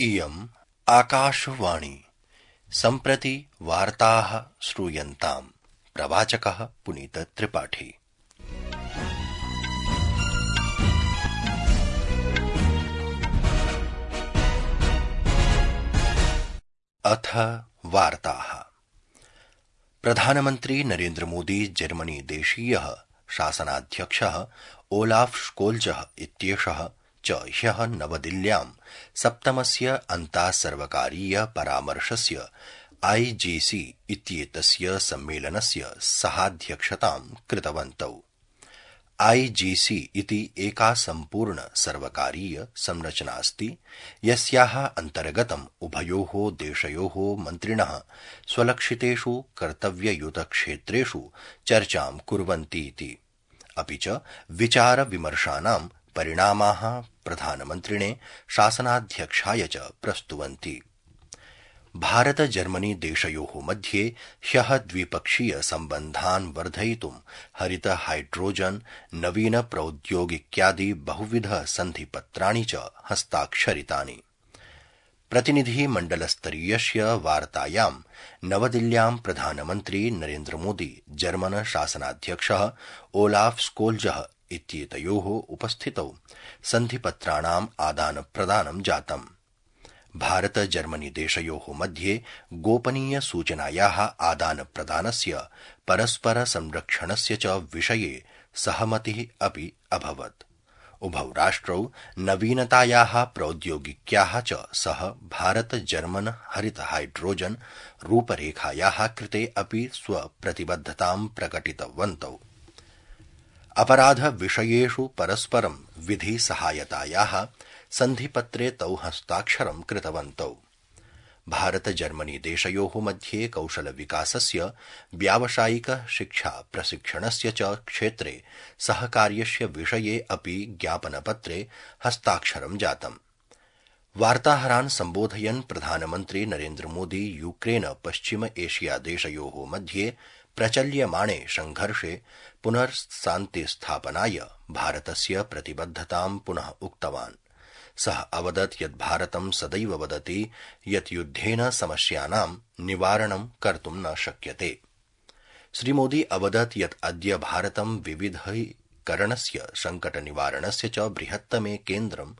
इयम् आकाशवाणी। सम्प्रति वार्ताः श्रूयन्ताम्। प्रवाचकः पुनीत त्रिपाठी। अथ वार्ताः। प्रधानमन्त्री नरेन्द्र मोदी जर्मनी देशीयः शासनाध्यक्षः ओलाफ स्कोल्जः इत्येषः च ह्यः नवदिल्ल्यां सप्तमस्य अन्तासर्वकारीय परामर्शस्य IGC इत्येतस्य सम्मेलनस्य सहाध्यक्षतां कृतवन्तौ। IGC इति एका सम्पूर्ण सर्वकारीय संरचनास्ति, यस्याः अन्तर्गतम् उभयोः देशयोः मन्त्रिणः स्वलक्षितेषु कर्तव्ययुतक्षेत्रेषु चर्चां कुर्वन्तीति। अपि च विचारविमर्शानां परिणामाः प्रधानमन्त्रिणे शासनाध्यक्षाय च प्रस्तुवन्ति। भारत जर्मनी देशयोः मध्ये ह्यः द्विपक्षीय सम्बन्धान् वर्धयितुं हरित हाइड्रोजन नवीन प्रौद्योगिक्यादि बहुविध सन्धिपत्राणि च हस्ताक्षरितानि। प्रतिनिधिमण्डलस्तरीयस्य वार्तायां नवदिल्ल्यां प्रधानमन्त्री नरेन्द्र मोदी जर्मन शासनाध्यक्षः ओलाफ स्कोल्जः इत्येतयोः उपस्थितौ सन्धिपत्राणाम् आदानप्रदानं जातम्। भारत जर्मनी देशयोः मध्ये गोपनीय सूचनायाः आदानप्रदानस्य परस्पर संरक्षणस्य च विषये सहमतिः अपि अभवत्। उभौ राष्ट्रौ नवीनतायाः प्रौद्योगिक्याः च सह भारत जर्मन हरित हाइड्रोजन रूपरेखायाः कृते अपि स्वप्रतिबद्धतां प्रकटितवन्तौ। अपराध विषयेषु परस्परं विधि सहायतायाः सन्धिपत्रे तौ हस्ताक्षरं कृतवन्तौ। भारत जर्मनी देशयोः मध्ये कौशलविकासस्य व्यावसायिक शिक्षा प्रशिक्षणस्य च क्षेत्रे सहकार्यस्य विषये अपि ज्ञापनपत्रे हस्ताक्षरं जातम्। वार्ताहरान् सम्बोधयन् प्रधानमन्त्री नरेन्द्र मोदी यूक्रेन पश्चिम एशिया देशयोः मध्ये प्रचल्यमाणे संघर्षे पुनर्शान्तिस्थापनाय भारतस्य प्रतिबद्धतां पुनः उक्तवान्। सः अवदत् यत् भारतं सदैव वदति यत् युद्धेन समस्यानां निवारणं कर्तुं न शक्यते। श्रीमोदी अवदत् यत् अद्य भारतं विविधीकरणस्य संकटनिवारणस्य च बृहत्तमे केन्द्रं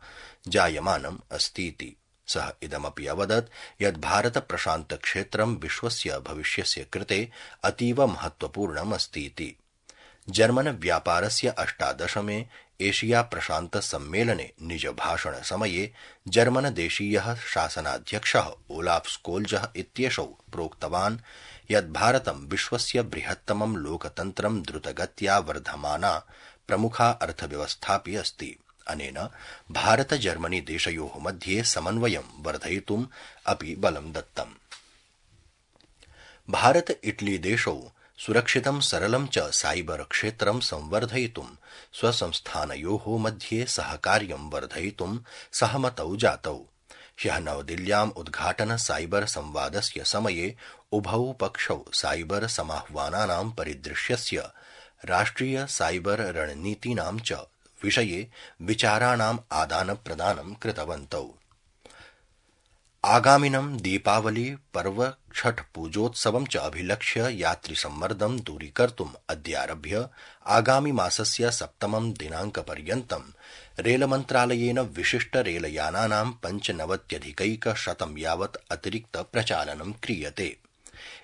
जायमानम् अस्तीति। सः इदमपि अवदत् यत् भारत प्रशान्त क्षेत्रं विश्वस्य भविष्यस्य कृते अतीव महत्वपूर्णम् अस्तीति। जर्मन व्यापारस्य 18मे एशिया प्रशान्त सम्मेलने निज भाषण समये जर्मन देशीयः शासनाध्यक्षः ओलाफ स्कोल्जः इत्येषौ प्रोक्तवान् यत् भारतं विश्वस्य बृहत्तमं लोकतन्त्रं द्रुतगत्या वर्धमाना प्रमुखा अर्थव्यवस्थापि अस्ति। अनेन भारत जर्मनी देशयोः मध्ये समन्वयं वर्धयितुम् अपि बलं दत्तम्। भारत इटली देशौ सुरक्षितं सरलं च साइबर क्षेत्रं संवर्धयितुं स्वसंस्थानयोः मध्ये सहकार्यं वर्धयितुं सहमतौ जातौ। ह्यः नवदिल्ल्याम् उद्घाटन साइबर संवादस्य समये उभौ पक्षौ साइबर समाह्वानानां परिदृश्यस्य राष्ट्रिय साइबर रणनीतीनां च विषये विचाराणाम् आदानप्रदानं कृतवन्तौ। आगामिनं दीपावली पर्व छठ पूजोत्सवं च अभिलक्ष्य यात्रिसम्मर्दं दूरीकर्तुम् अद्यारभ्य आगामि मासस्य 7 दिनाङ्कपर्यन्तं रेलमन्त्रालयेन विशिष्ट रेलयानानां 95,100 यावत् अतिरिक्त प्रचालनं क्रियते।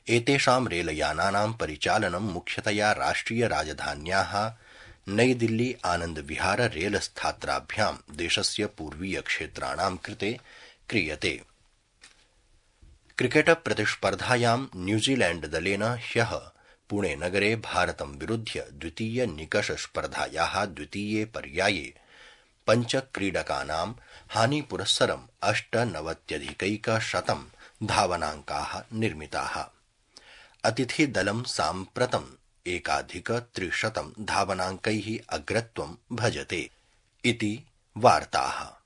एतेषां रेलयानानां परिचालनं मुख्यतया राष्ट्रिय राजधान्याः नई दिल्ली आनन्द विहार रेलस्थात्राभ्यां देशस्य पूर्वीय क्षेत्राणां कृते क्रियते। क्रिकेट प्रतिस्पर्धायां न्यूजीलैण्ड दलेन ह्यः पुणे नगरे भारतं विरुध्य द्वितीय निकष स्पर्धायाः द्वितीये पर्याये 5 क्रीडकानां हानिपुरस्सरं 98,100 धावनाङ्काः निर्मिताः। अतिथिदलं साम्प्रतं 1,300 धावनाङ्कैः अग्रत्वं भजते इति वार्ताः।